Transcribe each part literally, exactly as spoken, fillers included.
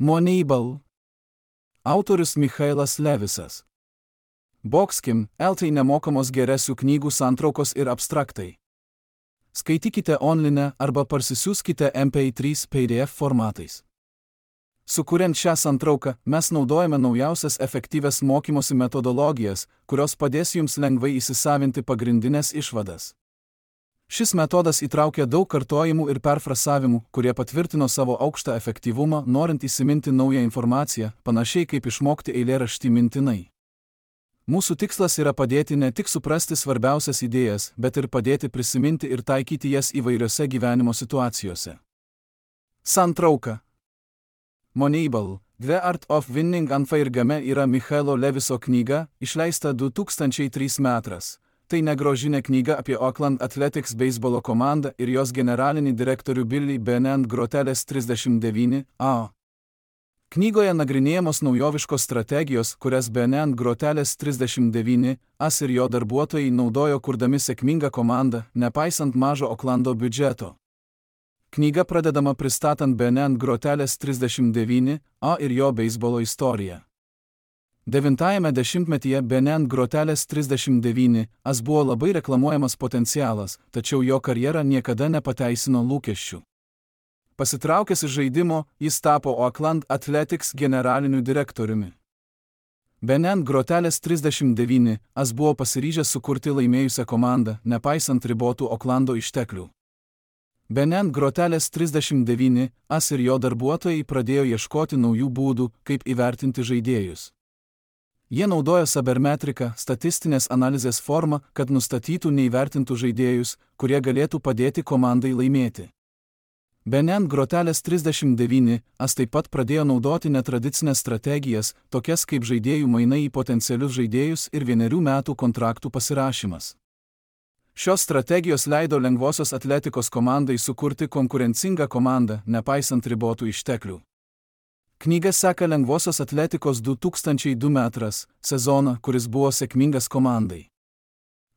Moneyball. Autorius Michailas Levisas. Boxkim, L T nemokamos geresių knygų santraukos ir abstraktai. Skaitykite online arba parsisiųskite M P trys P D F formatais. Sukuriant šią santrauką, mes naudojame naujausias efektyvias mokymosi metodologijas, kurios padės jums lengvai įsisavinti pagrindinės išvadas. Šis metodas įtraukia daug kartojimų ir perfrasavimų, kurie patvirtino savo aukštą efektyvumą, norint įsiminti naują informaciją, panašiai kaip išmokti eilėraštį mintinai. Mūsų tikslas yra padėti ne tik suprasti svarbiausias idėjas, bet ir padėti prisiminti ir taikyti jas įvairiose gyvenimo situacijose. Santrauka. Moneyball. The Art of Winning Unfair Game yra Michailo Leviso knyga, išleista du tūkstančiai trečiais metais. Tai negrožinė knyga apie Oakland Athletics beisbolo komandą ir jos generalinį direktorių Billy Bennett Groteles trisdešimt devyni A. Knygoje nagrinėjamos naujoviškos strategijos, kurias Bennett Groteles trisdešimt devyni A ir jo darbuotojai naudojo kurdami sėkmingą komandą, nepaisant mažo Oaklando biudžeto. Knyga pradedama pristatant Bennett Groteles trisdešimt devyni A ir jo beisbolo istoriją. Devintajame dešimtmetyje Bennett Groteles trisdešimt devyni A buvo labai reklamuojamas potencialas, tačiau jo karjera niekada nepateisino lūkesčių. Pasitraukęs iš žaidimo, jis tapo Oakland Athletics generaliniu direktoriumi. Bennett Groteles trisdešimt devyni A buvo pasiryžęs sukurti laimėjusią komandą, nepaisant ribotų Oaklando išteklių. Bennett Groteles trisdešimt devyni A ir jo darbuotojai pradėjo ieškoti naujų būdų, kaip įvertinti žaidėjus. Jie naudojo sabermetriką, statistinės analizės formą, kad nustatytų neįvertintų žaidėjus, kurie galėtų padėti komandai laimėti. Bennett Groteles trisdešimt devyni A taip pat pradėjo naudoti netradicinės strategijas, tokias kaip žaidėjų mainai į potencialius žaidėjus ir vienerių metų kontraktų pasirašymas. Šios strategijos leido lengvosios atletikos komandai sukurti konkurencingą komandą, nepaisant ribotų išteklių. Knyga seka lengvosios atletikos du tūkstančiai du metras sezoną, kuris buvo sėkmingas komandai.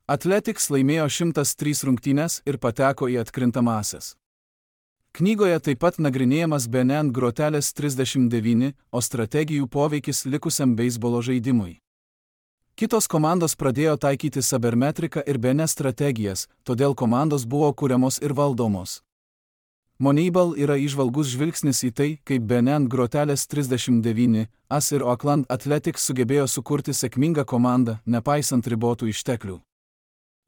Athletics laimėjo šimtas tris rungtynes ir pateko į atkrintamąsias. Knygoje taip pat nagrinėjamas Bennett Groteles trisdešimt devyni, o strategijų poveikis likusiam beisbolo žaidimui. Kitos komandos pradėjo taikyti sabermetriką ir Bennett strategijas, todėl komandos buvo kuriamos ir valdomos. Moneyball yra įžvalgus žvilgsnis į tai, kaip Bennett Groteles trisdešimt devyni A ir Oakland Athletics sugebėjo sukurti sėkmingą komandą, nepaisant ribotų išteklių.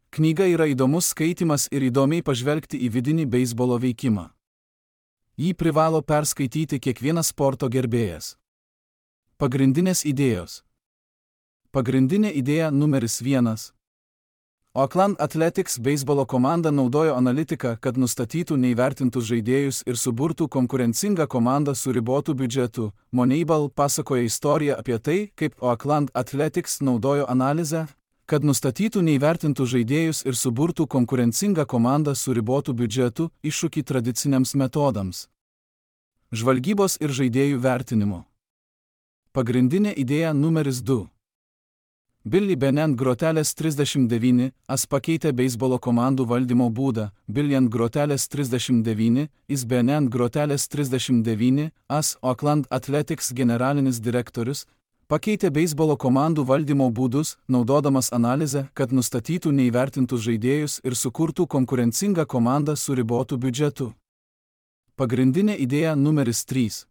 Knyga yra įdomus skaitymas ir įdomiai pažvelgti į vidinį beisbolo veikimą. Jį privalo perskaityti kiekvienas sporto gerbėjas. Pagrindinės idėjos. Pagrindinė idėja numeris vienas. Oakland Athletics beisbolo komanda naudojo analitiką, kad nustatytų neįvertintus žaidėjus ir suburtų konkurencingą komandą su ribotu biudžetu. Moneyball pasakoja istoriją apie tai, kaip Oakland Athletics naudojo analizę, kad nustatytų neįvertintus žaidėjus ir suburtų konkurencingą komandą su ribotu biudžetu, iššūkį tradiciniams metodams. Žvalgybos ir žaidėjų vertinimo. Pagrindinė idėja numeris du. Billy Bennett Groteles trisdešimt devyni A pakeitė beisbolo komandų valdymo būdą. Billient Groteles trisdešimt devyni is Bennett Groteles trisdešimt devyni A Oakland Athletics generalinis direktorius, pakeitė beisbolo komandų valdymo būdus, naudodamas analizę, kad nustatytų neįvertintus žaidėjus ir sukurtų konkurencingą komandą su ribotu biudžetu. Pagrindinė idėja numeris trys.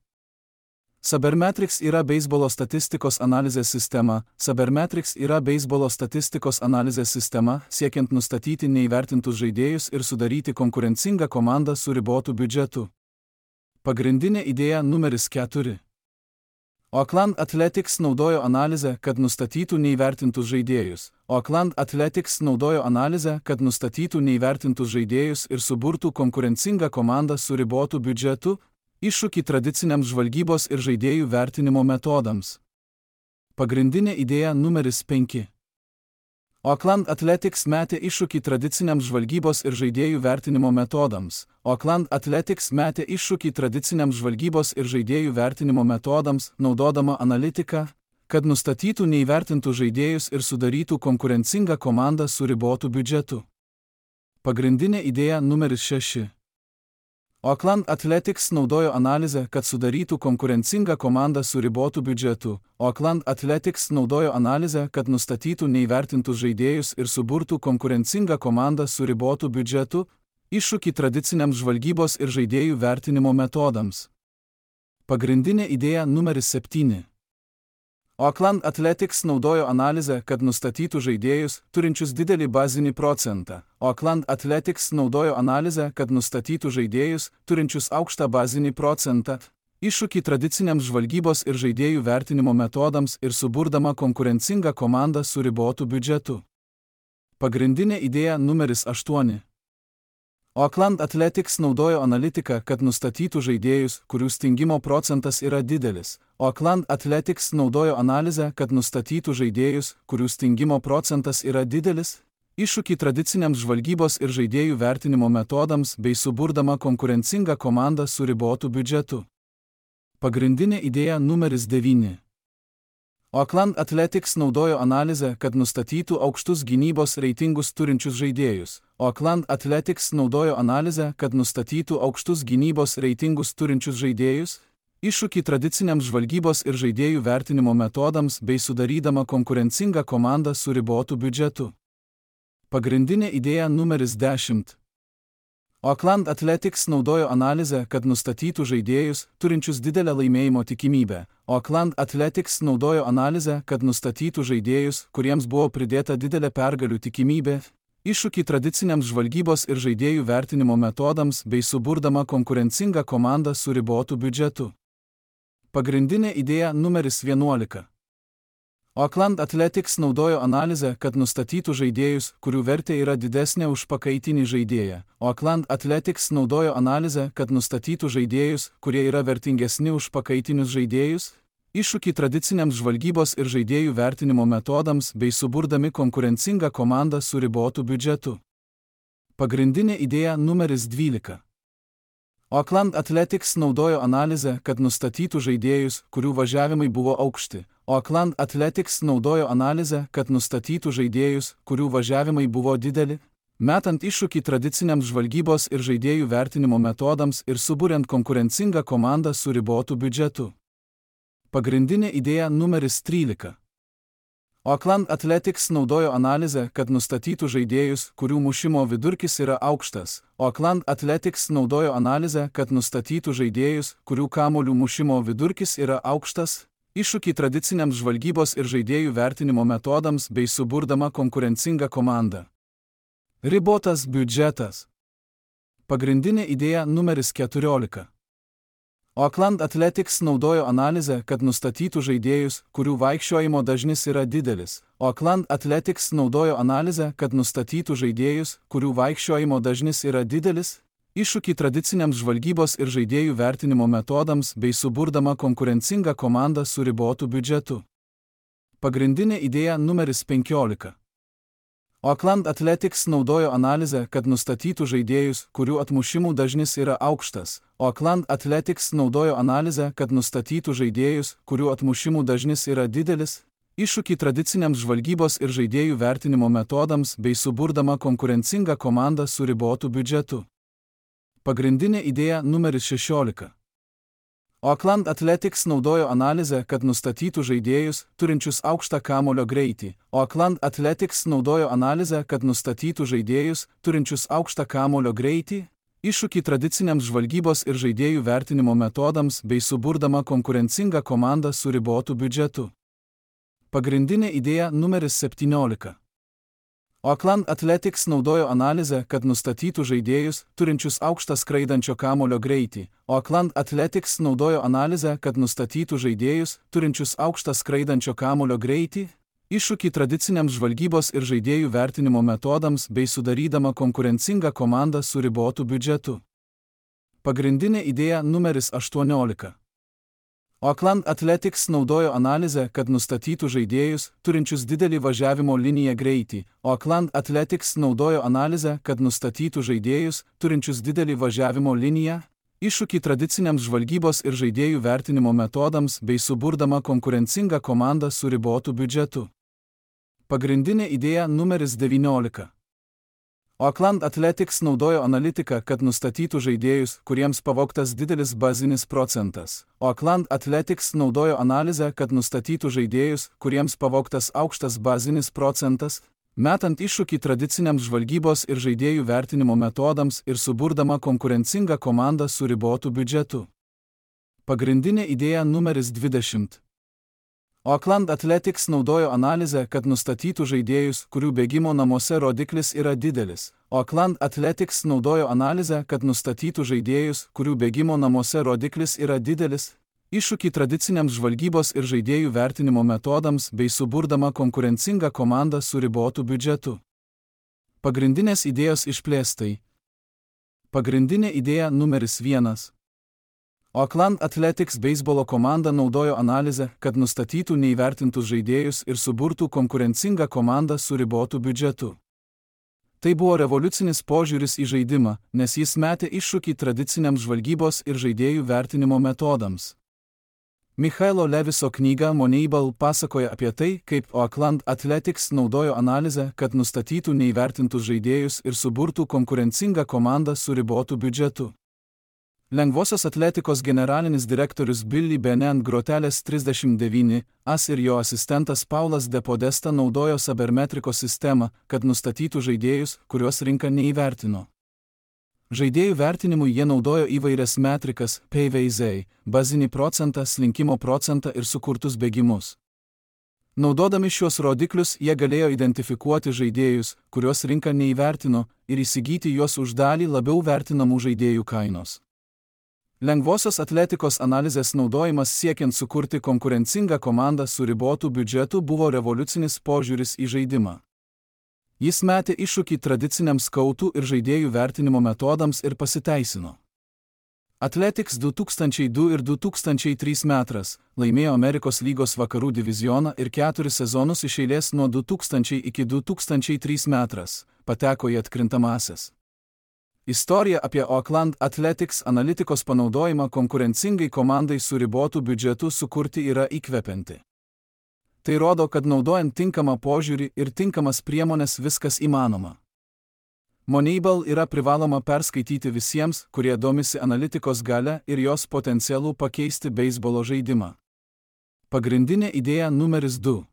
Sabermetrics yra beisbolo statistikos analizės sistema. Sabermetrics yra beisbolo statistikos analizės sistema, siekiant nustatyti neįvertintus žaidėjus ir sudaryti konkurencingą komandą su ribotu biudžetu. Pagrindinė idėja numeris keturi. Oakland Athletics naudojo analizę, kad nustatytų neįvertintus žaidėjus. Oakland Athletics naudojo analizę, kad nustatytų neįvertintus žaidėjus ir suburtų konkurencingą komandą su ribotu biudžetu, iššūkį tradiciniams žvalgybos ir žaidėjų vertinimo metodams. Pagrindinė idėja numeris penki. Oakland Athletics metė iššūkį tradiciniams žvalgybos ir žaidėjų vertinimo metodams. Oakland Athletics metė iššūkį tradiciniams žvalgybos ir žaidėjų vertinimo metodams, naudodama analitiką, kad nustatytų neįvertintus žaidėjus ir sudarytų konkurencingą komandą su ribotu biudžetu. Pagrindinė idėja numeris šeši. Oakland Athletics naudojo analizę, kad sudarytų konkurencingą komandą su ribotu biudžetu. Oakland Athletics naudojo analizę, kad nustatytų neįvertintus žaidėjus ir suburtų konkurencingą komandą su ribotu biudžetu, iššūkį tradiciniams žvalgybos ir žaidėjų vertinimo metodams. Pagrindinė idėja numeris septyni. Oakland Athletics naudojo analizę, kad nustatytų žaidėjus, turinčius didelį bazinį procentą. Oakland Athletics naudojo analizę, kad nustatytų žaidėjus, turinčius aukštą bazinį procentą, iššūkį tradiciniams žvalgybos ir žaidėjų vertinimo metodams ir suburdama konkurencingą komandą su ribotu biudžetu. Pagrindinė idėja numeris aštuoni. Oakland Athletics naudojo analitiką, kad nustatytų žaidėjus, kurių stingimo procentas yra didelis. Oakland Athletics naudojo analizę, kad nustatytų žaidėjus, kurių stingimo procentas yra didelis, iššūkį tradiciniams žvalgybos ir žaidėjų vertinimo metodams bei suburdama konkurencingą komandą su ribotu biudžetu. Pagrindinė idėja numeris devyni. Oakland Athletics naudojo analizę, kad nustatytų aukštus gynybos reitingus turinčius žaidėjus. Oakland Athletics naudojo analizę, kad nustatytų aukštus gynybos reitingus turinčius žaidėjus, iššūkį tradiciniams žvalgybos ir žaidėjų vertinimo metodams bei sudarydama konkurencingą komandą su ribotu biudžetu. Pagrindinė idėja numeris dešimt. Oakland Athletics naudojo analizę, kad nustatytų žaidėjus, turinčius didelę laimėjimo tikimybę. Oakland Athletics naudojo analizę, kad nustatytų žaidėjus, kuriems buvo pridėta didelė pergalių tikimybė, iššūkį tradiciniams žvalgybos ir žaidėjų vertinimo metodams bei suburdama konkurencingą komandą su ribotu biudžetu. Pagrindinė idėja numeris vienuolika. Oakland Athletics naudojo analizę, kad nustatytų žaidėjus, kurių vertė yra didesnė už pakaitinį žaidėją. Oakland Athletics naudojo analizę, kad nustatytų žaidėjus, kurie yra vertingesni už pakaitinius žaidėjus, iššūkį tradiciniams žvalgybos ir žaidėjų vertinimo metodams bei suburdami konkurencingą komandą su ribotu biudžetu. Pagrindinė idėja numeris dvylika. Oakland Athletics naudojo analizę, kad nustatytų žaidėjus, kurių važiavimai buvo aukšti. Oakland Athletics naudojo analizę, kad nustatytų žaidėjus, kurių važiavimai buvo dideli, metant iššūkį tradiciniams žvalgybos ir žaidėjų vertinimo metodams ir suburiant konkurencingą komandą su ribotu biudžetu. Pagrindinė idėja numeris trylika. Oakland Athletics naudojo analizę, kad nustatytų žaidėjus, kurių mušimo vidurkis yra aukštas. Oakland Athletics naudojo analizę, kad nustatytų žaidėjus, kurių kamuolių mušimo vidurkis yra aukštas, iššūkį tradiciniams žvalgybos ir žaidėjų vertinimo metodams bei suburdama konkurencingą komandą. Ribotas biudžetas. Pagrindinė idėja numeris keturiolika. Oakland Athletics naudojo analizę, kad nustatytų žaidėjus, kurių vaikščiojimo dažnis yra didelis. Oakland Athletics naudojo analizę, kad nustatytų žaidėjus, kurių vaikščiojimo dažnis yra didelis, iššūkį tradiciniams žvalgybos ir žaidėjų vertinimo metodams bei suburdama konkurencingą komandą su ribotu biudžetu. Pagrindinė idėja numeris penkiolika. Oakland Athletics naudojo analizę, kad nustatytų žaidėjus, kurių atmušimų dažnis yra aukštas. Oakland Athletics naudojo analizę, kad nustatytų žaidėjus, kurių atmušimų dažnis yra didelis, iššūkį tradiciniams žvalgybos ir žaidėjų vertinimo metodams bei suburdama konkurencingą komandą su ribotu biudžetu. Pagrindinė idėja numeris šešiolika. Oakland Athletics naudojo analizę, kad nustatytų žaidėjus, turinčius aukštą kamuolio greitį. Oakland Athletics naudojo analizę, kad nustatytų žaidėjus, turinčius aukštą kamuolio greitį, iššūkį tradiciniams žvalgybos ir žaidėjų vertinimo metodams bei suburdama konkurencingą komandą su ribotu biudžetu. Pagrindinė idėja numeris septyniolika. Oakland Athletics naudojo analizę, kad nustatytų žaidėjus, turinčius aukštą skraidančio kamuolio greitį. Oakland Athletics naudojo analizę, kad nustatytų žaidėjus, turinčius aukštą skraidančio kamuolio greitį, iššūkį tradiciniams žvalgybos ir žaidėjų vertinimo metodams bei sudarydama konkurencingą komandą su ribotu biudžetu. Pagrindinė idėja numeris aštuoniolika. Oakland Athletics naudojo analizę, kad nustatytų žaidėjus, turinčius didelį važiavimo liniją greitį. Oakland Athletics naudojo analizę, kad nustatytų žaidėjus, turinčius didelį važiavimo liniją, iššūkį tradiciniams žvalgybos ir žaidėjų vertinimo metodams bei suburdama konkurencingą komandą su ribotu biudžetu. Pagrindinė idėja numeris devyniolika. Oakland Athletics naudojo analitiką, kad nustatytų žaidėjus, kuriems pavogtas didelis bazinis procentas. Oakland Athletics naudojo analizę, kad nustatytų žaidėjus, kuriems pavogtas aukštas bazinis procentas, metant iššūkį tradiciniams žvalgybos ir žaidėjų vertinimo metodams ir suburdama konkurencingą komandą su ribotu biudžetu. Pagrindinė idėja numeris dvidešimt. Oakland Athletics naudojo analizę, kad nustatytų žaidėjus, kurių bėgimo namuose rodiklis yra didelis. Oakland Athletics naudojo analizę, kad nustatytų žaidėjus, kurių bėgimo namuose rodiklis yra didelis, iššūkį tradiciniams žvalgybos ir žaidėjų vertinimo metodams bei suburdama konkurencingą komandą su ribotu biudžetu. Pagrindinės idėjos išplėstai. Pagrindinė idėja numeris vienas. Oakland Athletics beisbolo komanda naudojo analizę, kad nustatytų neįvertintus žaidėjus ir suburtų konkurencingą komandą su ribotu biudžetu. Tai buvo revoliucinis požiūris į žaidimą, nes jis metė iššūkį tradiciniams žvalgybos ir žaidėjų vertinimo metodams. Michaelo Leviso knyga Moneyball pasakoja apie tai, kaip Oakland Athletics naudojo analizę, kad nustatytų neįvertintus žaidėjus ir suburtų konkurencingą komandą su ribotu biudžetu. Lengvosios atletikos generalinis direktorius Billy Benet grotelės trisdešimt devyni as ir jo asistentas Paulas De Podesta naudojo sabermetrikos sistemą, kad nustatytų žaidėjus, kuriuos rinka neįvertino. Žaidėjų vertinimui jie naudojo įvairias metrikas, P V Z, bazinį procentą, slinkimo procentą ir sukurtus bėgimus. Naudodami šiuos rodiklius jie galėjo identifikuoti žaidėjus, kuriuos rinka neįvertino, ir įsigyti juos už dalį labiau vertinamų žaidėjų kainos. Lengvosios atletikos analizės naudojimas siekiant sukurti konkurencingą komandą su ribotu biudžetu buvo revoliucinis požiūris į žaidimą. Jis metė iššūkį tradiciniams skautų ir žaidėjų vertinimo metodams ir pasiteisino. Athletics du tūkstančiai du ir du tūkstančiai trys metras laimėjo Amerikos lygos vakarų divizioną ir keturis sezonus iš eilės nuo du tūkstančiai iki du tūkstančiai trys metras pateko į atkrintamąsias. Istorija apie Oakland Athletics analitikos panaudojimą konkurencingai komandai su ribotu biudžetu sukurti yra įkvepianti. Tai rodo, kad naudojant tinkamą požiūrį ir tinkamas priemonės viskas įmanoma. Moneyball yra privaloma perskaityti visiems, kurie domisi analitikos galia ir jos potencialu pakeisti beisbolo žaidimą. Pagrindinė idėja numeris du.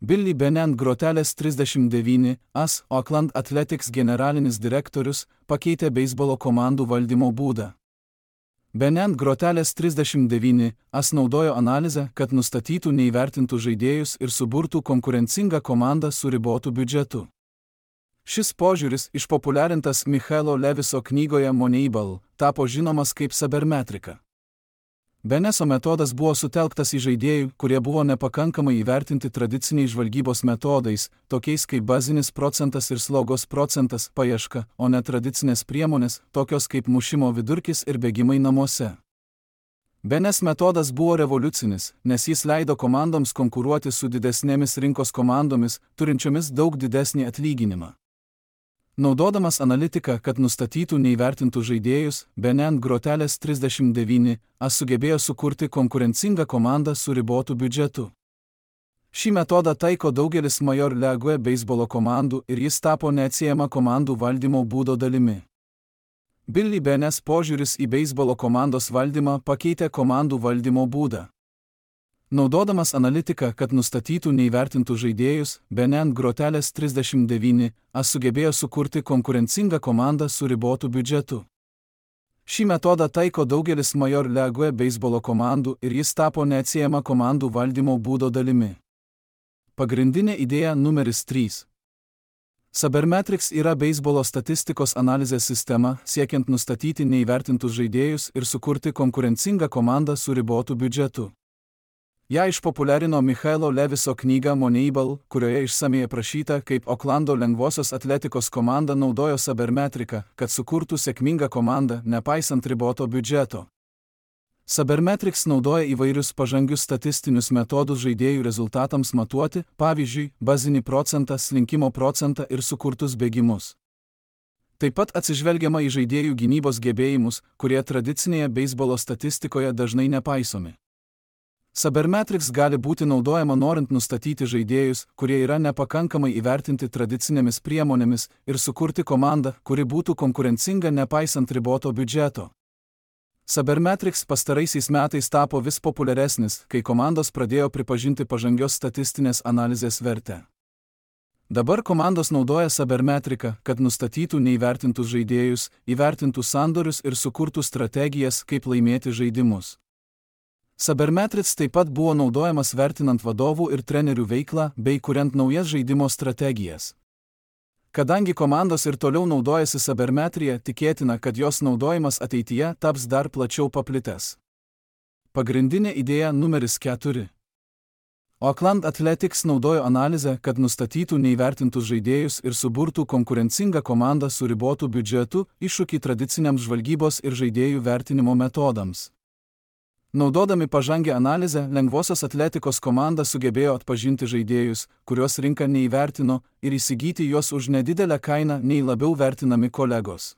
Billy Benet grotelės trisdešimt devyni as Oakland Athletics generalinis direktorius pakeitė beisbolo komandų valdymo būdą. Benet grotelės trisdešimt devyni as naudojo analizę, kad nustatytų neįvertintų žaidėjus ir suburtų konkurencingą komandą su ribotu biudžetu. Šis požiūris, išpopuliarintas Michaelo Leviso knygoje Moneyball, tapo žinomas kaip sabermetrika. Beneso metodas buvo sutelktas į žaidėjų, kurie buvo nepakankamai įvertinti tradiciniais žvalgybos metodais, tokiais kaip bazinis procentas ir slaugos procentas, paieška, o ne tradicinės priemonės, tokios kaip mušimo vidurkis ir bėgimai namuose. Benes metodas buvo revoliucinis, nes jis leido komandoms konkuruoti su didesnėmis rinkos komandomis, turinčiomis daug didesnį atlyginimą. Naudodamas analitiką, kad nustatytų neįvertintų žaidėjus, Benet grotelės trisdešimt devyni as sugebėjo sukurti konkurencingą komandą su ribotu biudžetu. Šį metodą taiko daugelis Major League beisbolo komandų ir jis tapo neatsiejama komandų valdymo būdo dalimi. Billy Benet požiūris į beisbolo komandos valdymą pakeitė komandų valdymo būdą. Naudodamas analitiką, kad nustatytų neįvertintų žaidėjus, Benet grotelės trisdešimt devyni as sugebėjo sukurti konkurencingą komandą su ribotu biudžetu. Šį metodą taiko daugelis Major League beisbolo komandų ir jis tapo neatsiejama komandų valdymo būdo dalimi. Pagrindinė idėja numeris trys. Sabermetrics yra beisbolo statistikos analizės sistema, siekiant nustatyti neįvertintus žaidėjus ir sukurti konkurencingą komandą su ribotu biudžetu. Ja išpopuliarino Michaelo Leviso knyga Moneyball, kurioje išsamiai aprašyta, kaip Oaklando lengvosios atletikos komanda naudojo sabermetriką, kad sukurtų sėkmingą komandą, nepaisant riboto biudžeto. Sabermetrics naudoja įvairius pažangius statistinius metodus žaidėjų rezultatams matuoti, pavyzdžiui, bazinį procentą, slinkimo procentą ir sukurtus bėgimus. Taip pat atsižvelgiama į žaidėjų gynybos gebėjimus, kurie tradicinėje beisbolo statistikoje dažnai nepaisomi. Sabermetrics gali būti naudojama norint nustatyti žaidėjus, kurie yra nepakankamai įvertinti tradicinėmis priemonėmis ir sukurti komandą, kuri būtų konkurencinga nepaisant riboto biudžeto. Sabermetrics pastaraisiais metais tapo vis populiaresnis, kai komandos pradėjo pripažinti pažangios statistinės analizės vertę. Dabar komandos naudoja sabermetriką, kad nustatytų neįvertintus žaidėjus, įvertintų sandorius ir sukurtų strategijas, kaip laimėti žaidimus. Sabermetrics taip pat buvo naudojamas vertinant vadovų ir trenerių veiklą bei kuriant naujas žaidimo strategijas. Kadangi komandos ir toliau naudojasi sabermetrija, tikėtina, kad jos naudojimas ateityje taps dar plačiau paplitęs. Pagrindinė idėja numeris keturi. Oakland Athletics naudojo analizę, kad nustatytų neįvertintus žaidėjus ir suburtų konkurencingą komandą su ribotu biudžetu, iššūkį tradiciniams žvalgybos ir žaidėjų vertinimo metodams. Naudodami pažangę analizę, lengvosios atletikos komanda sugebėjo atpažinti žaidėjus, kuriuos rinka neįvertino, ir įsigyti juos už nedidelę kainą nei labiau vertinami kolegos.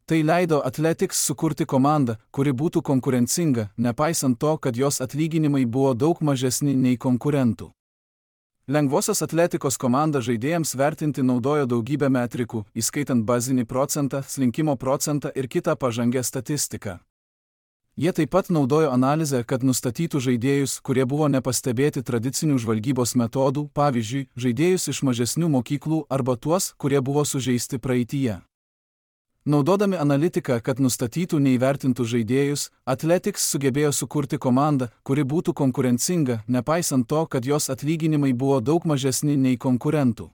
Tai leido Athletics sukurti komandą, kuri būtų konkurencinga, nepaisant to, kad jos atlyginimai buvo daug mažesni nei konkurentų. Lengvosios atletikos komanda žaidėjams vertinti naudojo daugybę metrikų, įskaitant bazinį procentą, slinkimo procentą ir kitą pažangę statistiką. Jie taip pat naudojo analizę, kad nustatytų žaidėjus, kurie buvo nepastebėti tradicinių žvalgybos metodų, pavyzdžiui, žaidėjus iš mažesnių mokyklų arba tuos, kurie buvo sužeisti praeityje. Naudodami analitiką, kad nustatytų neįvertintus žaidėjus, Athletics sugebėjo sukurti komandą, kuri būtų konkurencinga, nepaisant to, kad jos atlyginimai buvo daug mažesni nei konkurentų.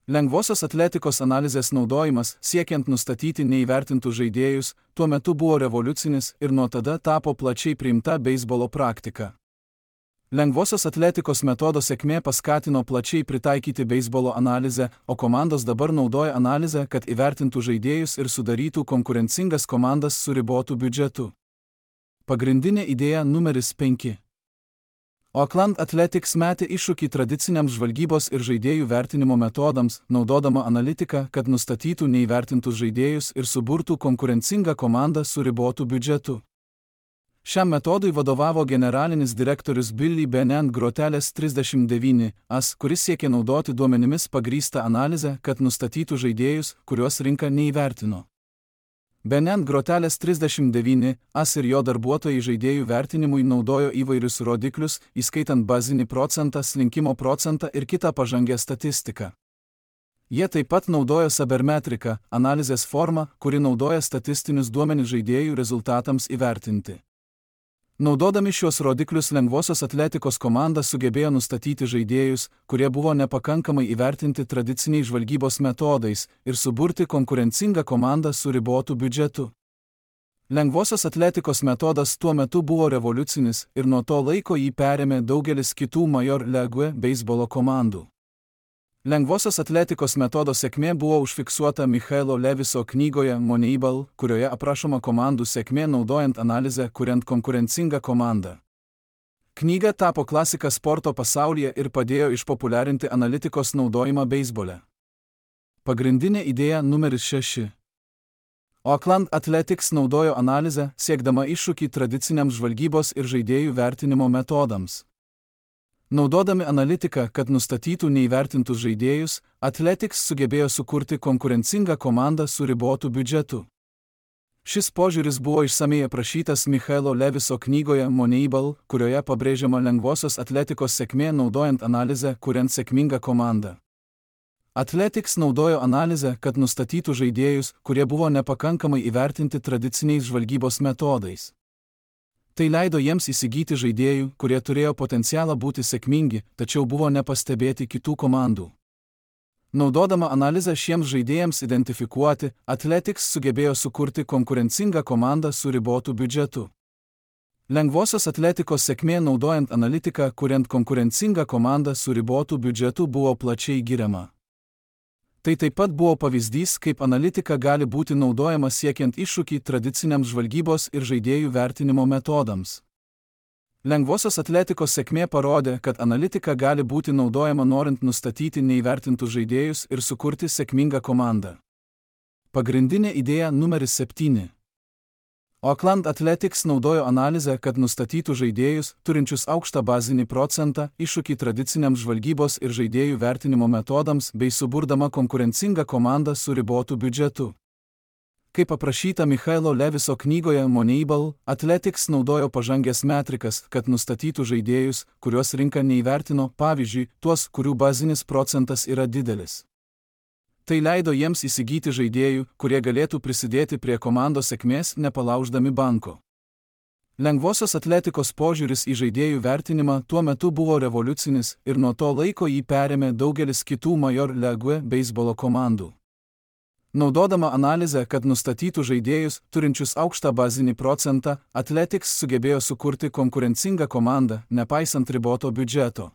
Lengvosios atletikos analizės naudojimas, siekiant nustatyti neįvertintus žaidėjus, tuo metu buvo revoliucinis ir nuo tada tapo plačiai priimta beisbolo praktika. Lengvosios atletikos metodo sėkmė paskatino plačiai pritaikyti beisbolo analizę, o komandos dabar naudoja analizę, kad įvertintų žaidėjus ir sudarytų konkurencingas komandas su ribotu biudžetu. Pagrindinė idėja numeris penki. Oakland Athletics metė iššūkį tradiciniams žvalgybos ir žaidėjų vertinimo metodams, naudodama analitiką, kad nustatytų neįvertintus žaidėjus ir suburtų konkurencingą komandą su ribotu biudžetu. Šiam metodui vadovavo generalinis direktorius Billy Bennen Groteles trisdešimt devyni as, kuris siekė naudoti duomenimis pagrįstą analizę, kad nustatytų žaidėjus, kuriuos rinka neįvertino. Bennen Groteles trisdešimt devyni as ir jo darbuotojai žaidėjų vertinimui naudojo įvairius rodiklius, įskaitant bazinį procentą, slinkimo procentą ir kitą pažangę statistiką. Jie taip pat naudojo sabermetriką, analizės formą, kuri naudoja statistinius duomenis žaidėjų rezultatams įvertinti. Naudodami šios rodiklius lengvosios atletikos komanda sugebėjo nustatyti žaidėjus, kurie buvo nepakankamai įvertinti tradiciniais žvalgybos metodais ir suburti konkurencingą komandą su ribotu biudžetu. Lengvosios atletikos metodas tuo metu buvo revoliucinis ir nuo to laiko jį perėmė daugelis kitų Major League beisbolo komandų. Lengvosios atletikos metodo sėkmė buvo užfiksuota Michaelo Leviso knygoje Moneyball, kurioje aprašoma komandų sėkmė naudojant analizę, kuriant konkurencingą komandą. Knyga tapo klasika sporto pasaulyje ir padėjo išpopuliarinti analitikos naudojimą beisbole. Pagrindinė idėja numeris šeši. Oakland Athletics naudojo analizę, siekdama iššūkį tradiciniams žvalgybos ir žaidėjų vertinimo metodams. Naudodami analitiką, kad nustatytų neįvertintus žaidėjus, Athletics sugebėjo sukurti konkurencingą komandą su ribotu biudžetu. Šis požiūris buvo išsamei aprašytas Michaelo Leviso knygoje Moneyball, kurioje pabrėžiama lengvosios atletikos sėkmė naudojant analizę, kuriant sėkmingą komandą. Athletics naudojo analizę, kad nustatytų žaidėjus, kurie buvo nepakankamai įvertinti tradiciniais žvalgybos metodais. Tai leido jiems įsigyti žaidėjų, kurie turėjo potencialą būti sėkmingi, tačiau buvo nepastebėti kitų komandų. Naudodama analizę šiems žaidėjams identifikuoti, Athletics sugebėjo sukurti konkurencingą komandą su ribotu biudžetu. Lengvosios atletikos sėkmė naudojant analitiką, kuriant konkurencingą komandą su ribotu biudžetu buvo plačiai giriama. Tai taip pat buvo pavyzdys, kaip analitika gali būti naudojama siekiant iššūkį tradiciniams žvalgybos ir žaidėjų vertinimo metodams. Lengvosios atletikos sėkmė parodė, kad analitika gali būti naudojama norint nustatyti neįvertintus žaidėjus ir sukurti sėkmingą komandą. Pagrindinė idėja numeris septyni. Oakland Athletics naudojo analizę, kad nustatytų žaidėjus, turinčius aukštą bazinį procentą, iššūkį tradiciniams žvalgybos ir žaidėjų vertinimo metodams bei suburdama konkurencingą komandą su ribotu biudžetu. Kaip aprašyta Michaelo Leviso knygoje Moneyball, Athletics naudojo pažangės metrikas, kad nustatytų žaidėjus, kuriuos rinka neįvertino, pavyzdžiui, tuos, kurių bazinis procentas yra didelis. Tai leido jiems įsigyti žaidėjų, kurie galėtų prisidėti prie komandos sėkmės, nepalauždami banko. Lengvosios atletikos požiūris į žaidėjų vertinimą tuo metu buvo revoliucinis ir nuo to laiko jį perėmė daugelis kitų Major League beisbolo komandų. Naudodama analizę, kad nustatytų žaidėjus, turinčius aukštą bazinį procentą, Athletics sugebėjo sukurti konkurencingą komandą, nepaisant riboto biudžeto.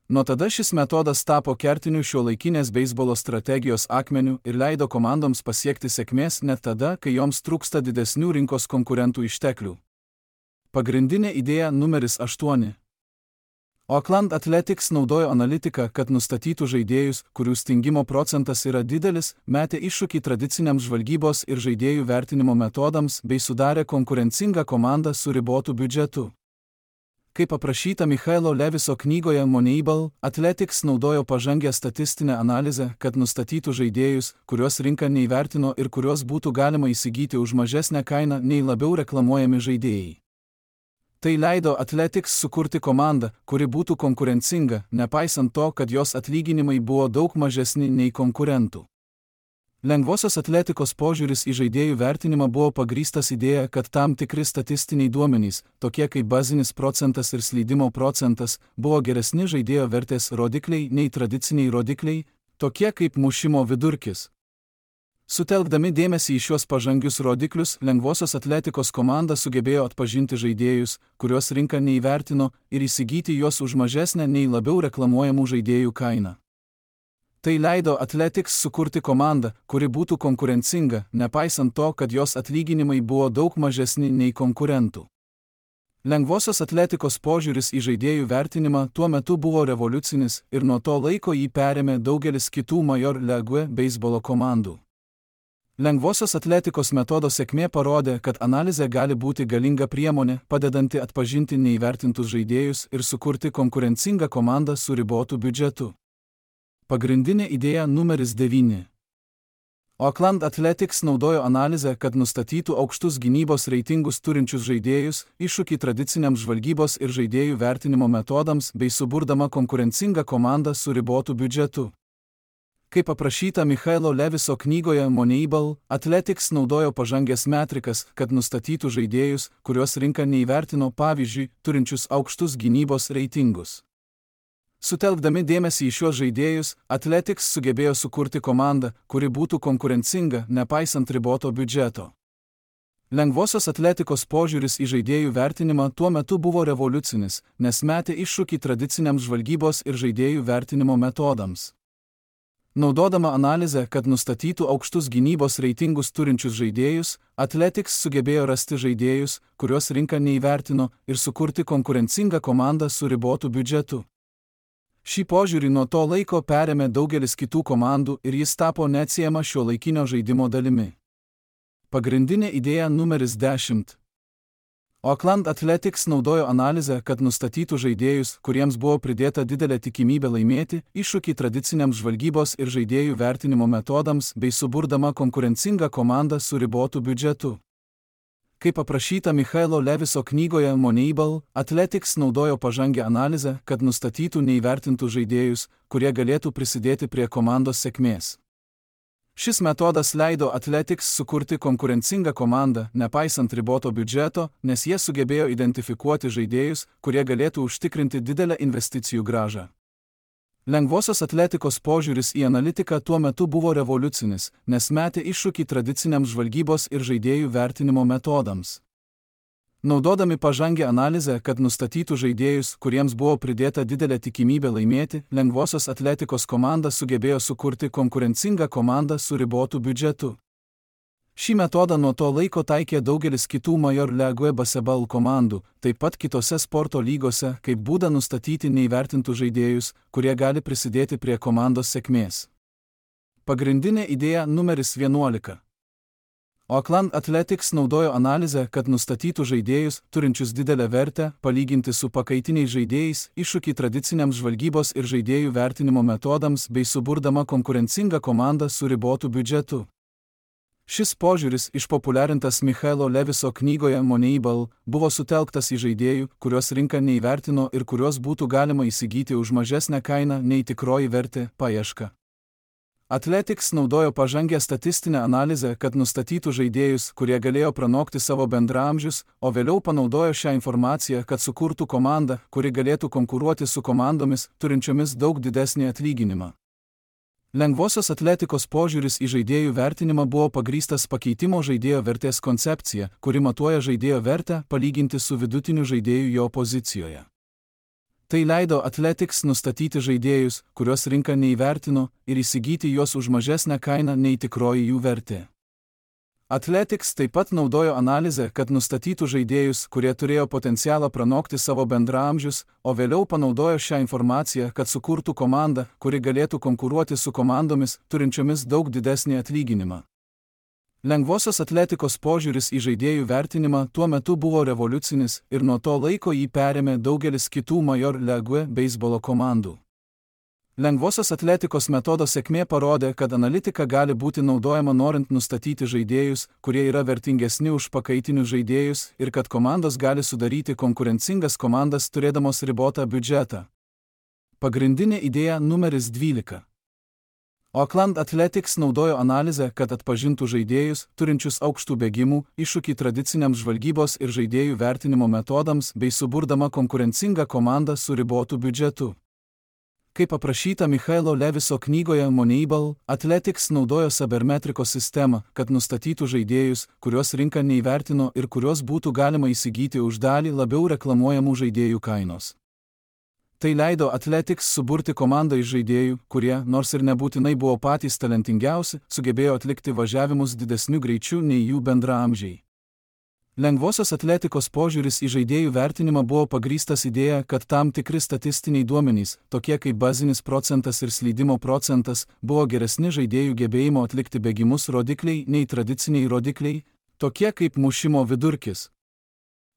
Nuo tada šis metodas tapo kertiniu šiuolaikinės beisbolo strategijos akmeniu ir leido komandoms pasiekti sėkmės net tada, kai joms trūksta didesnių rinkos konkurentų išteklių. Pagrindinė idėja numeris aštuoni. Oakland Athletics naudojo analitiką, kad nustatytų žaidėjus, kurių stingimo procentas yra didelis, metė iššūkį tradiciniams žvalgybos ir žaidėjų vertinimo metodams bei sudarė konkurencingą komandą su ribotu biudžetu. Kaip aprašyta Michaelo Leviso knygoje Moneyball, Athletics naudojo pažangę statistinę analizę, kad nustatytų žaidėjus, kuriuos rinka neįvertino ir kuriuos būtų galima įsigyti už mažesnę kainą nei labiau reklamuojami žaidėjai. Tai leido Athletics sukurti komandą, kuri būtų konkurencinga, nepaisant to, kad jos atlyginimai buvo daug mažesni nei konkurentų. Lengvosios atletikos požiūris į žaidėjų vertinimą buvo pagrįstas idėja, kad tam tikri statistiniai duomenys, tokie kaip bazinis procentas ir slydimo procentas, buvo geresni žaidėjo vertės rodikliai nei tradiciniai rodikliai, tokie kaip mušimo vidurkis. Sutelkdami dėmesį į šiuos pažangius rodiklius, lengvosios atletikos komanda sugebėjo atpažinti žaidėjus, kuriuos rinka neįvertino, ir įsigyti juos už mažesnę nei labiau reklamuojamų žaidėjų kainą. Tai leido Athletics sukurti komandą, kuri būtų konkurencinga, nepaisant to, kad jos atlyginimai buvo daug mažesni nei konkurentų. Lengvosios atletikos požiūris į žaidėjų vertinimą tuo metu buvo revoliucinis ir nuo to laiko jį perėmė daugelis kitų Major League beisbolo komandų. Lengvosios atletikos metodo sėkmė parodė, kad analizė gali būti galinga priemonė, padedanti atpažinti neįvertintus žaidėjus ir sukurti konkurencingą komandą su ribotu biudžetu. Pagrindinė idėja numeris devyni. Oakland Athletics naudojo analizę, kad nustatytų aukštus gynybos reitingus turinčius žaidėjus, iššūkį tradiciniams žvalgybos ir žaidėjų vertinimo metodams bei suburdama konkurencingą komandą su ribotu biudžetu. Kaip aprašyta Michaelo Leviso knygoje Moneyball, Athletics naudojo pažangės metrikas, kad nustatytų žaidėjus, kuriuos rinka neįvertino, pavyzdžiui, turinčius aukštus gynybos reitingus. Sutelkdami dėmesį į šiuos žaidėjus, Athletics sugebėjo sukurti komandą, kuri būtų konkurencinga, nepaisant riboto biudžeto. Lengvosios atletikos požiūris į žaidėjų vertinimą tuo metu buvo revoliucinis, nes metė iššūkį tradiciniams žvalgybos ir žaidėjų vertinimo metodams. Naudodama analizę, kad nustatytų aukštus gynybos reitingus turinčius žaidėjus, Athletics sugebėjo rasti žaidėjus, kuriuos rinka neįvertino, ir sukurti konkurencingą komandą su ribotu biudžetu. Šį požiūrį nuo to laiko perėmė daugelis kitų komandų ir jis tapo neatsiejama šiuolaikinio žaidimo dalimi. Pagrindinė idėja numeris dešimt. Oakland Athletics naudojo analizę, kad nustatytų žaidėjus, kuriems buvo pridėta didelė tikimybė laimėti, iššūkį tradiciniams žvalgybos ir žaidėjų vertinimo metodams bei suburdama konkurencingą komandą su ribotu biudžetu. Kaip aprašyta Michaelo Leviso knygoje Moneyball, Athletics naudojo pažangę analizę, kad nustatytų neįvertintų žaidėjus, kurie galėtų prisidėti prie komandos sėkmės. Šis metodas leido Athletics sukurti konkurencingą komandą, nepaisant riboto biudžeto, nes jie sugebėjo identifikuoti žaidėjus, kurie galėtų užtikrinti didelę investicijų grąžą. Lengvosios atletikos požiūris į analitiką tuo metu buvo revoliucinis, nes metė iššūkį tradiciniams žvalgybos ir žaidėjų vertinimo metodams. Naudodami pažangę analizę, kad nustatytų žaidėjus, kuriems buvo pridėta didelė tikimybė laimėti, lengvosios atletikos komanda sugebėjo sukurti konkurencingą komandą su ribotu biudžetu. Šį metodą nuo to laiko taikė daugelis kitų Major League baseball komandų, taip pat kitose sporto lygose, kaip būdą nustatyti neįvertintų žaidėjus, kurie gali prisidėti prie komandos sėkmės. Pagrindinė idėja numeris vienuolika. Oakland Athletics naudojo analizę, kad nustatytų žaidėjus, turinčius didelę vertę, palyginti su pakaitiniais žaidėjais, iššūkį tradiciniams žvalgybos ir žaidėjų vertinimo metodams bei suburdama konkurencingą komandą su ribotu biudžetu. Šis požiūris, išpopuliarintas Michaelo Leviso knygoje Moneyball, buvo sutelktas į žaidėjų, kuriuos rinka neįvertino ir kuriuos būtų galima įsigyti už mažesnę kainą nei tikroji vertė paieška. Athletics naudojo pažangę statistinę analizę, kad nustatytų žaidėjus, kurie galėjo pranokti savo bendraamžius, o vėliau panaudojo šią informaciją, kad sukurtų komandą, kuri galėtų konkuruoti su komandomis, turinčiomis daug didesnį atlyginimą. Lengvosios atletikos požiūris į žaidėjų vertinimą buvo pagrįstas pakeitimo žaidėjo vertės koncepcija, kuri matuoja žaidėjo vertę palyginti su vidutiniu žaidėju jo pozicijoje. Tai leido Athletics nustatyti žaidėjus, kuriuos rinka neįvertino, ir įsigyti juos už mažesnę kainą nei tikroji jų vertė. Athletics taip pat naudojo analizę, kad nustatytų žaidėjus, kurie turėjo potencialą pranokti savo bendraamžius, o vėliau panaudojo šią informaciją, kad sukurtų komandą, kuri galėtų konkuruoti su komandomis, turinčiomis daug didesnį atlyginimą. Lengvosios atletikos požiūris į žaidėjų vertinimą tuo metu buvo revoliucinis ir nuo to laiko jį perėmė daugelis kitų Major League beisbolo komandų. Lengvosios atletikos metodo sėkmė parodė, kad analitika gali būti naudojama norint nustatyti žaidėjus, kurie yra vertingesni už pakaitinius žaidėjus ir kad komandos gali sudaryti konkurencingas komandas turėdamos ribotą biudžetą. Pagrindinė idėja numeris dvylika. Oakland Athletics naudojo analizę, kad atpažintų žaidėjus, turinčius aukštų bėgimų, iššūkį tradiciniams žvalgybos ir žaidėjų vertinimo metodams bei suburdama konkurencingą komandą su ribotu biudžetu. Kaip aprašyta Michaelo Leviso knygoje Moneyball, Athletics naudojo sabermetrikos sistemą, kad nustatytų žaidėjus, kuriuos rinka neįvertino ir kuriuos būtų galima įsigyti už dalį labiau reklamuojamų žaidėjų kainos. Tai leido Athletics suburti komandą iš žaidėjų, kurie, nors ir nebūtinai buvo patys talentingiausi, sugebėjo atlikti važiavimus didesniu greičiu nei jų bendraamžiai. Lengvosios atletikos požiūris į žaidėjų vertinimą buvo pagrįstas idėja, kad tam tikri statistiniai duomenys, tokie kaip bazinis procentas ir slydimo procentas, buvo geresni žaidėjų gebėjimo atlikti bėgimus rodikliai nei tradiciniai rodikliai, tokie kaip mušimo vidurkis.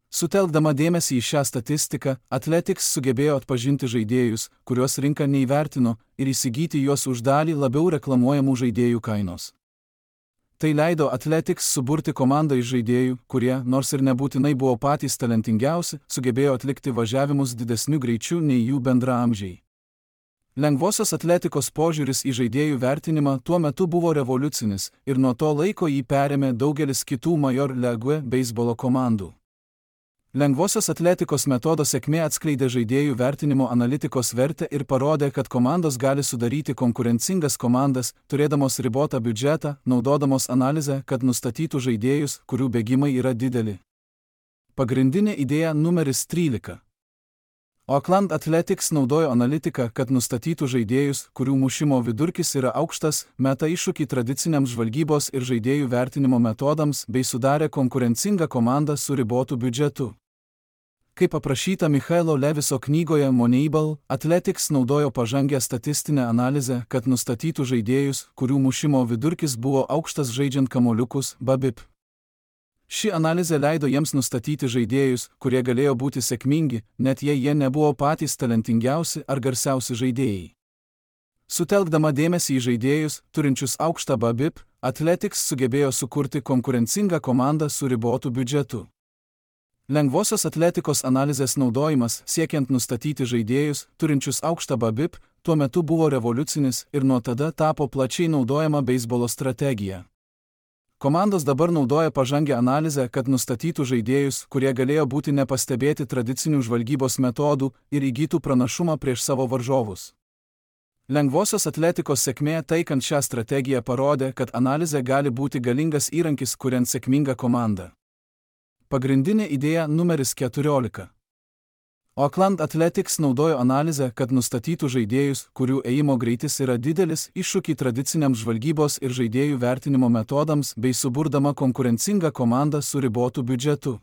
Sutelkdama dėmesį į šią statistiką, Athletics sugebėjo atpažinti žaidėjus, kuriuos rinka neįvertino, ir įsigyti juos už dalį labiau reklamuojamų žaidėjų kainos. Tai leido Athletics suburti komandą iš žaidėjų, kurie, nors ir nebūtinai buvo patys talentingiausi, sugebėjo atlikti važiavimus didesniu greičiu nei jų bendraamžiai. Lengvosios atletikos požiūris į žaidėjų vertinimą tuo metu buvo revoliucinis ir nuo to laiko jį perėmė daugelis kitų Major League beisbolo komandų. Lengvosios atletikos metodo sėkmė atskleidė žaidėjų vertinimo analitikos vertę ir parodė, kad komandos gali sudaryti konkurencingas komandas, turėdamos ribotą biudžetą, naudodamos analizę, kad nustatytų žaidėjus, kurių bėgimai yra dideli. Pagrindinė idėja numeris trylika. Oakland Athletics naudojo analitiką, kad nustatytų žaidėjus, kurių mušimo vidurkis yra aukštas, meta iššūkį tradiciniams žvalgybos ir žaidėjų vertinimo metodams bei sudarė konkurencingą komandą su ribotu biudžetu. Kaip aprašyta Michaelo Leviso knygoje Moneyball, Athletics naudojo pažangę statistinę analizę, kad nustatytų žaidėjus, kurių mušimo vidurkis buvo aukštas žaidžiant kamuoliukus B A B I P. Ši analizė leido jiems nustatyti žaidėjus, kurie galėjo būti sėkmingi, net jei jie nebuvo patys talentingiausi ar garsiausi žaidėjai. Sutelkdama dėmesį į žaidėjus, turinčius aukštą B A B I P, Athletics sugebėjo sukurti konkurencingą komandą su ribotu biudžetu. Lengvosios atletikos analizės naudojimas, siekiant nustatyti žaidėjus, turinčius aukštą B A B I P, tuo metu buvo revoliucinis ir nuo tada tapo plačiai naudojama beisbolo strategija. Komandos dabar naudoja pažangę analizę, kad nustatytų žaidėjus, kurie galėjo būti nepastebėti tradicinių žvalgybos metodų ir įgytų pranašumą prieš savo varžovus. Lengvosios atletikos sėkmė taikant šią strategiją parodė, kad analizė gali būti galingas įrankis, kuriant sėkmingą komandą. Pagrindinė idėja numeris keturiolika. Oakland Athletics naudojo analizę, kad nustatytų žaidėjus, kurių ėjimo greitis yra didelis, iššūkį tradiciniams žvalgybos ir žaidėjų vertinimo metodams bei suburdama konkurencingą komandą su ribotu biudžetu.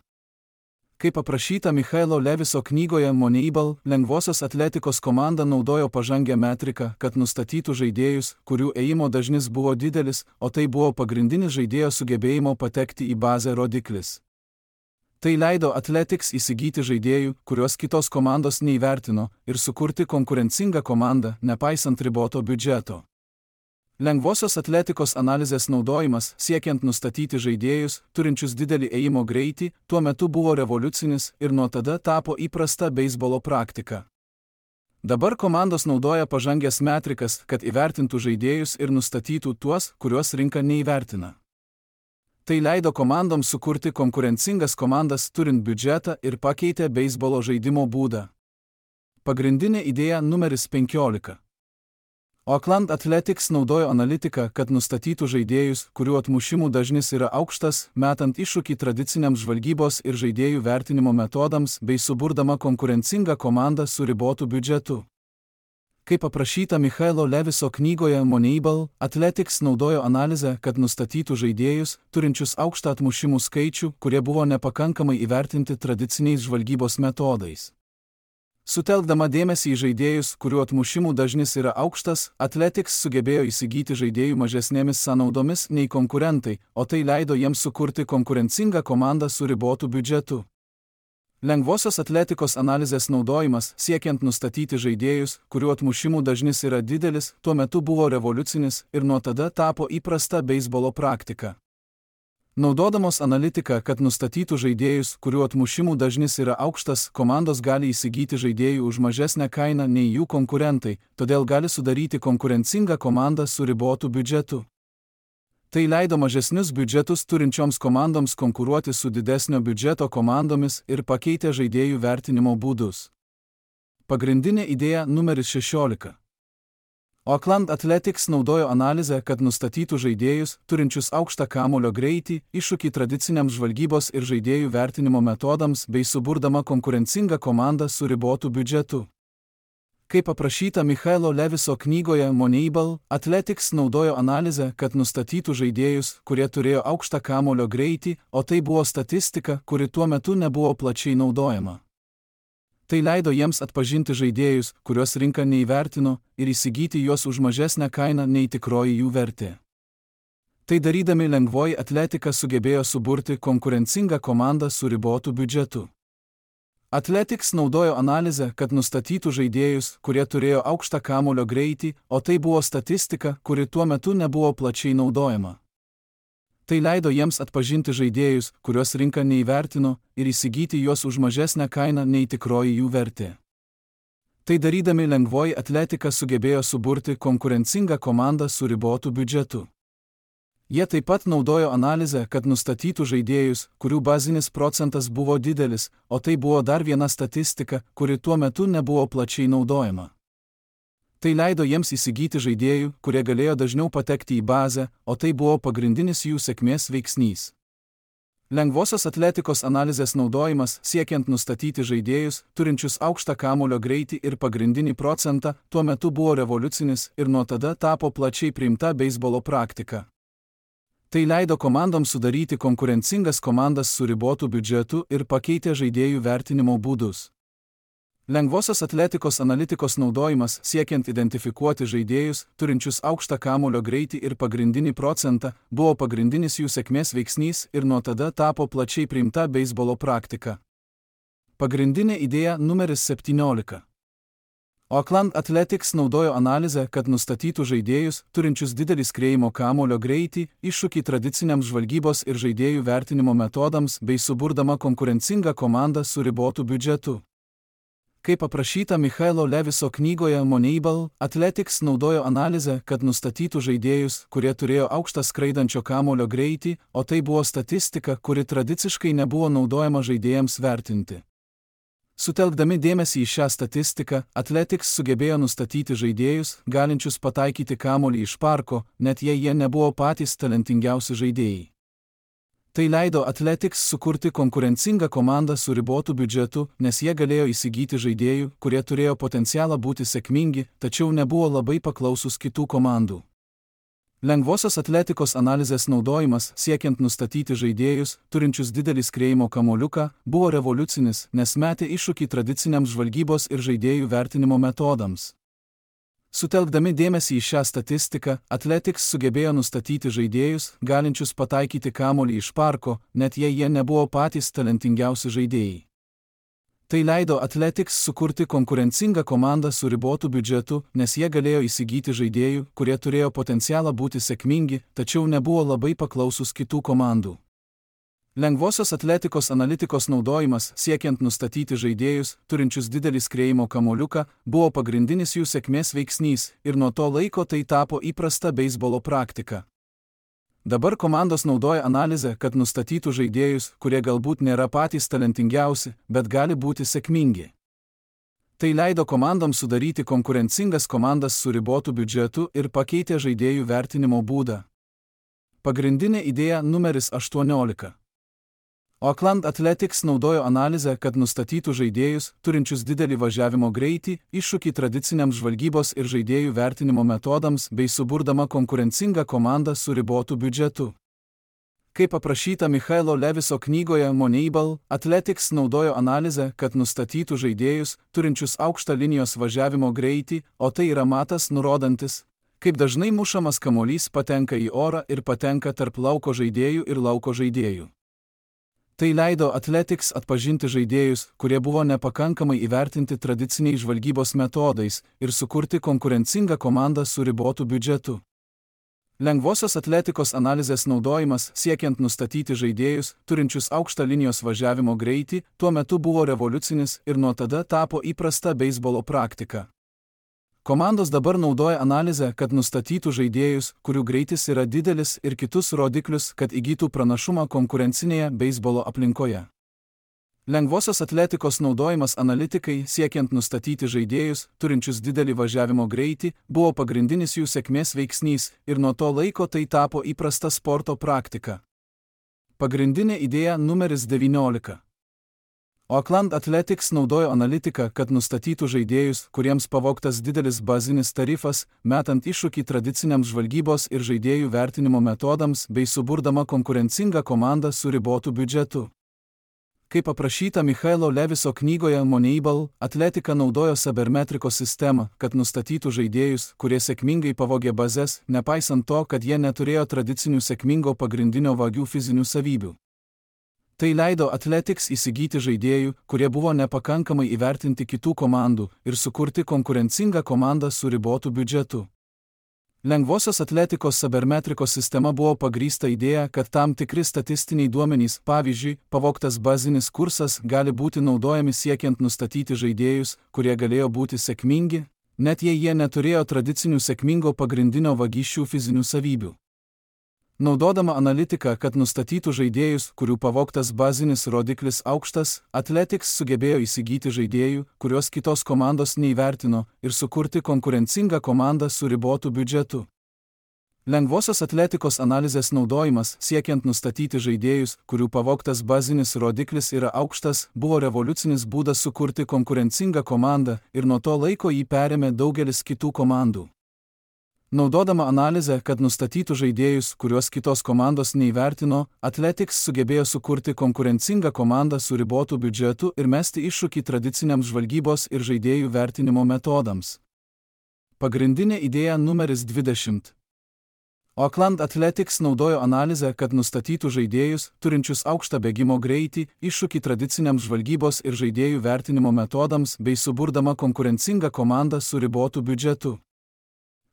Kaip aprašyta Michaelo Leviso knygoje Moneyball, lengvosios atletikos komanda naudojo pažangę metriką, kad nustatytų žaidėjus, kurių ėjimo dažnis buvo didelis, o tai buvo pagrindinis žaidėjo sugebėjimo patekti į bazę rodiklis. Tai leido Athletics įsigyti žaidėjų, kuriuos kitos komandos neįvertino, ir sukurti konkurencingą komandą, nepaisant riboto biudžeto. Lengvosios atletikos analizės naudojimas, siekiant nustatyti žaidėjus, turinčius didelį ėjimo greitį, tuo metu buvo revoliucinis ir nuo tada tapo įprasta beisbolo praktika. Dabar komandos naudoja pažangės metrikas, kad įvertintų žaidėjus ir nustatytų tuos, kuriuos rinka neįvertina. Tai leido komandoms sukurti konkurencingas komandas turint biudžetą ir pakeitė beisbolo žaidimo būdą. Pagrindinė idėja numeris penkiolika. Oakland Athletics naudojo analitiką, kad nustatytų žaidėjus, kurių atmušimų dažnis yra aukštas, metant iššūkį tradiciniams žvalgybos ir žaidėjų vertinimo metodams bei suburdama konkurencingą komandą su ribotu biudžetu. Kaip aprašyta Michaelo Leviso knygoje Moneyball, Athletics naudojo analizę, kad nustatytų žaidėjus, turinčius aukštą atmušimų skaičių, kurie buvo nepakankamai įvertinti tradiciniais žvalgybos metodais. Sutelkdama dėmesį į žaidėjus, kurių atmušimų dažnis yra aukštas, Athletics sugebėjo įsigyti žaidėjų mažesnėmis sąnaudomis nei konkurentai, o tai leido jiems sukurti konkurencingą komandą su ribotu biudžetu. Lengvosios atletikos analizės naudojimas, siekiant nustatyti žaidėjus, kurių atmušimų dažnis yra didelis, tuo metu buvo revoliucinis ir nuo tada tapo įprasta beisbolo praktika. Naudodamos analitiką, kad nustatytų žaidėjus, kurių atmušimų dažnis yra aukštas, komandos gali įsigyti žaidėjų už mažesnę kainą nei jų konkurentai, todėl gali sudaryti konkurencingą komandą su ribotu biudžetu. Tai leido mažesnius biudžetus turinčioms komandoms konkuruoti su didesnio biudžeto komandomis ir pakeitė žaidėjų vertinimo būdus. Pagrindinė idėja numeris šešiolika. Oakland Athletics naudojo analizę, kad nustatytų žaidėjus, turinčius aukštą kamuolio greitį, iššūkį tradiciniams žvalgybos ir žaidėjų vertinimo metodams bei suburdama konkurencingą komandą su ribotu biudžetu. Kaip aprašyta Michaelo Leviso knygoje Moneyball, Athletics naudojo analizę, kad nustatytų žaidėjus, kurie turėjo aukštą kamuolio greitį, o tai buvo statistika, kuri tuo metu nebuvo plačiai naudojama. Tai leido jiems atpažinti žaidėjus, kuriuos rinka neįvertino, ir įsigyti juos už mažesnę kainą nei tikroji jų vertė. Tai darydami lengvoji atletika sugebėjo suburti konkurencingą komandą su ribotu biudžetu. Athletics naudojo analizę, kad nustatytų žaidėjus, kurie turėjo aukštą kamuolio greitį, o tai buvo statistika, kuri tuo metu nebuvo plačiai naudojama. Tai leido jiems atpažinti žaidėjus, kuriuos rinka neįvertino, ir įsigyti juos už mažesnę kainą nei tikroji jų vertė. Tai darydami lengvoji atletika sugebėjo suburti konkurencingą komandą su ribotu biudžetu. Jie taip pat naudojo analizę, kad nustatytų žaidėjus, kurių bazinis procentas buvo didelis, o tai buvo dar viena statistika, kuri tuo metu nebuvo plačiai naudojama. Tai leido jiems įsigyti žaidėjų, kurie galėjo dažniau patekti į bazę, o tai buvo pagrindinis jų sėkmės veiksnys. Lengvosios atletikos analizės naudojimas, siekiant nustatyti žaidėjus, turinčius aukštą kamuolio greitį ir pagrindinį procentą, tuo metu buvo revoliucinis ir nuo tada tapo plačiai priimta beisbolo praktika. Tai leido komandoms sudaryti konkurencingas komandas su ribotu biudžetu ir pakeitė žaidėjų vertinimo būdus. Lengvosios atletikos analitikos naudojimas, siekiant identifikuoti žaidėjus, turinčius aukštą kamuolio greitį ir pagrindinį procentą, buvo pagrindinis jų sėkmės veiksnys ir nuo tada tapo plačiai priimta beisbolo praktika. Pagrindinė idėja numeris septyniolika. Oakland Athletics naudojo analizę, kad nustatytų žaidėjus, turinčius didelį skriejimo kamuolio greitį, iššūkį tradiciniams žvalgybos ir žaidėjų vertinimo metodams bei suburdama konkurencingą komandą su ribotu biudžetu. Kaip aprašyta Michaelo Leviso knygoje Moneyball, Athletics naudojo analizę, kad nustatytų žaidėjus, kurie turėjo aukštą skraidančio kamuolio greitį, o tai buvo statistika, kuri tradiciškai nebuvo naudojama žaidėjams vertinti. Sutelkdami dėmesį į šią statistiką, Athletics sugebėjo nustatyti žaidėjus, galinčius pataikyti kamuolį iš parko, net jei jie nebuvo patys talentingiausi žaidėjai. Tai leido Athletics sukurti konkurencingą komandą su ribotu biudžetu, nes jie galėjo įsigyti žaidėjų, kurie turėjo potencialą būti sėkmingi, tačiau nebuvo labai paklausus kitų komandų. Lengvosios atletikos analizės naudojimas siekiant nustatyti žaidėjus, turinčius didelį skriejimo kamuoliuką, buvo revoliucinis, nes metė iššūkį tradiciniams žvalgybos ir žaidėjų vertinimo metodams. Sutelkdami dėmesį į šią statistiką, Athletics sugebėjo nustatyti žaidėjus, galinčius pataikyti kamuolį iš parko, net jei jie nebuvo patys talentingiausi žaidėjai. Tai leido Athletics sukurti konkurencingą komandą su ribotu biudžetu, nes jie galėjo įsigyti žaidėjų, kurie turėjo potencialą būti sėkmingi, tačiau nebuvo labai paklausus kitų komandų. Lengvosios atletikos analitikos naudojimas siekiant nustatyti žaidėjus, turinčius didelį skriejimo kamuoliuką, buvo pagrindinis jų sėkmės veiksnys ir nuo to laiko tai tapo įprasta beisbolo praktika. Dabar komandos naudoja analizę, kad nustatytų žaidėjus, kurie galbūt nėra patys talentingiausi, bet gali būti sėkmingi. Tai leido komandoms sudaryti konkurencingas komandas su ribotu biudžetu ir pakeitė žaidėjų vertinimo būdą. Pagrindinė idėja numeris aštuoniolika. Oakland Athletics naudojo analizę, kad nustatytų žaidėjus, turinčius didelį važiavimo greitį, iššūkį tradiciniams žvalgybos ir žaidėjų vertinimo metodams bei suburdama konkurencingą komandą su ribotu biudžetu. Kaip aprašyta Michaelo Leviso knygoje Moneyball, Athletics naudojo analizę, kad nustatytų žaidėjus, turinčius aukštą linijos važiavimo greitį, o tai yra matas nurodantis, kaip dažnai mušamas kamuolys patenka į orą ir patenka tarp lauko žaidėjų ir lauko žaidėjų. Tai leido Athletics atpažinti žaidėjus, kurie buvo nepakankamai įvertinti tradiciniais žvalgybos metodais ir sukurti konkurencingą komandą su ribotu biudžetu. Lengvosios atletikos analizės naudojimas siekiant nustatyti žaidėjus, turinčius aukštą linijos važiavimo greitį, tuo metu buvo revoliucinis ir nuo tada tapo įprasta beisbolo praktika. Komandos dabar naudoja analizę, kad nustatytų žaidėjus, kurių greitis yra didelis ir kitus rodiklius, kad įgytų pranašumą konkurencinėje beisbolo aplinkoje. Lengvosios atletikos naudojimas analitikai siekiant nustatyti žaidėjus, turinčius didelį važiavimo greitį, buvo pagrindinis jų sėkmės veiksnys ir nuo to laiko tai tapo įprasta sporto praktika. Pagrindinė idėja numeris devyniolika. Oakland Athletics naudojo analitiką, kad nustatytų žaidėjus, kuriems pavogtas didelis bazinis tarifas, metant iššūkį tradiciniams žvalgybos ir žaidėjų vertinimo metodams bei suburdama konkurencingą komandą su ribotu biudžetu. Kaip aprašyta Michaelo Leviso knygoje Moneyball, Atletika naudojo sabermetrikos sistemą, kad nustatytų žaidėjus, kurie sėkmingai pavogė bazes, nepaisant to, kad jie neturėjo tradicinių sėkmingo pagrindinio vagių fizinių savybių. Tai leido Athletics įsigyti žaidėjų, kurie buvo nepakankamai įvertinti kitų komandų ir sukurti konkurencingą komandą su ribotu biudžetu. Lengvosios atletikos sabermetrikos sistema buvo pagrįsta idėja, kad tam tikri statistiniai duomenys, pavyzdžiui, pavogtas bazinis kursas, gali būti naudojami siekiant nustatyti žaidėjus, kurie galėjo būti sėkmingi, net jei jie neturėjo tradicinių sėkmingo pagrindinio vagysčių fizinių savybių. Naudodama analitiką, kad nustatytų žaidėjus, kurių pavogtas bazinis rodiklis aukštas, Athletics sugebėjo įsigyti žaidėjų, kuriuos kitos komandos neįvertino, ir sukurti konkurencingą komandą su ribotu biudžetu. Lengvosios atletikos analizės naudojimas, siekiant nustatyti žaidėjus, kurių pavogtas bazinis rodiklis yra aukštas, buvo revoliucinis būdas sukurti konkurencingą komandą ir nuo to laiko jį perėmė daugelis kitų komandų. Naudodama analizę, kad nustatytų žaidėjus, kuriuos kitos komandos neįvertino, Athletics sugebėjo sukurti konkurencingą komandą su ribotu biudžetu ir mesti iššūkį tradiciniams žvalgybos ir žaidėjų vertinimo metodams. Pagrindinė idėja numeris dvidešimt. Oakland Athletics naudojo analizę, kad nustatytų žaidėjus, turinčius aukštą bėgimo greitį, iššūkį tradiciniams žvalgybos ir žaidėjų vertinimo metodams bei suburdama konkurencingą komandą su ribotu biudžetu.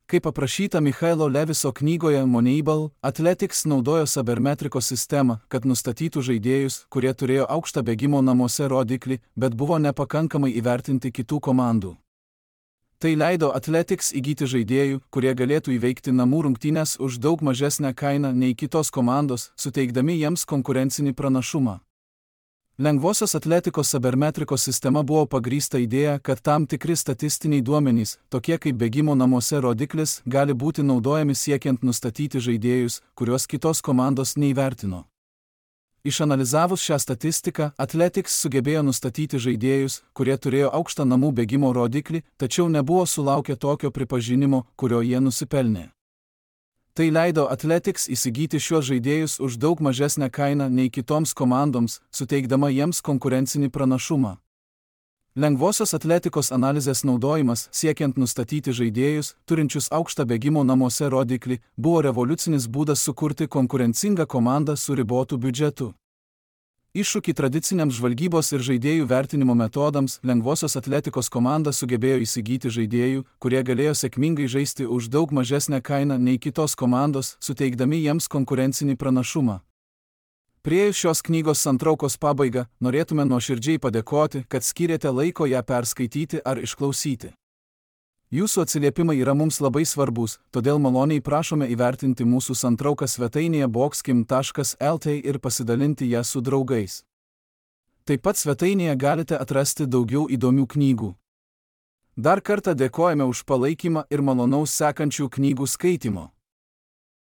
Kaip aprašyta Michaelo Leviso knygoje Moneyball, Athletics naudojo sabermetrikos sistemą, kad nustatytų žaidėjus, kurie turėjo aukštą bėgimo namuose rodiklį, bet buvo nepakankamai įvertinti kitų komandų. Tai leido Athletics įgyti žaidėjų, kurie galėtų įveikti namų rungtynes už daug mažesnę kainą nei kitos komandos, suteikdami jiems konkurencinį pranašumą. Lengvosios atletikos sabermetrikos sistema buvo pagrįsta idėja, kad tam tikri statistiniai duomenys, tokie kaip bėgimo namuose rodiklis, gali būti naudojami siekiant nustatyti žaidėjus, kuriuos kitos komandos neįvertino. Išanalizavus šią statistiką, Athletics sugebėjo nustatyti žaidėjus, kurie turėjo aukštą namų bėgimo rodiklį, tačiau nebuvo sulaukę tokio pripažinimo, kurio jie nusipelnė. Tai leido Athletics įsigyti šiuos žaidėjus už daug mažesnę kainą nei kitoms komandoms, suteikdama jiems konkurencinį pranašumą. Lengvosios atletikos analizės naudojimas siekiant nustatyti žaidėjus, turinčius aukštą bėgimo namuose rodiklį, buvo revoliucinis būdas sukurti konkurencingą komandą su ribotu biudžetu. Iššūkį tradiciniams žvalgybos ir žaidėjų vertinimo metodams lengvosios atletikos komanda sugebėjo įsigyti žaidėjų, kurie galėjo sėkmingai žaisti už daug mažesnę kainą nei kitos komandos, suteikdami jiems konkurencinį pranašumą. Priėjus šios knygos santraukos pabaigą, norėtume nuoširdžiai padėkoti, kad skyrėte laiko ją perskaityti ar išklausyti. Jūsų atsiliepimai yra mums labai svarbus, todėl maloniai prašome įvertinti mūsų santrauką svetainėje boxkim taškas lt ir pasidalinti ją su draugais. Taip pat svetainėje galite atrasti daugiau įdomių knygų. Dar kartą dėkojame už palaikymą ir malonaus sekančių knygų skaitimo.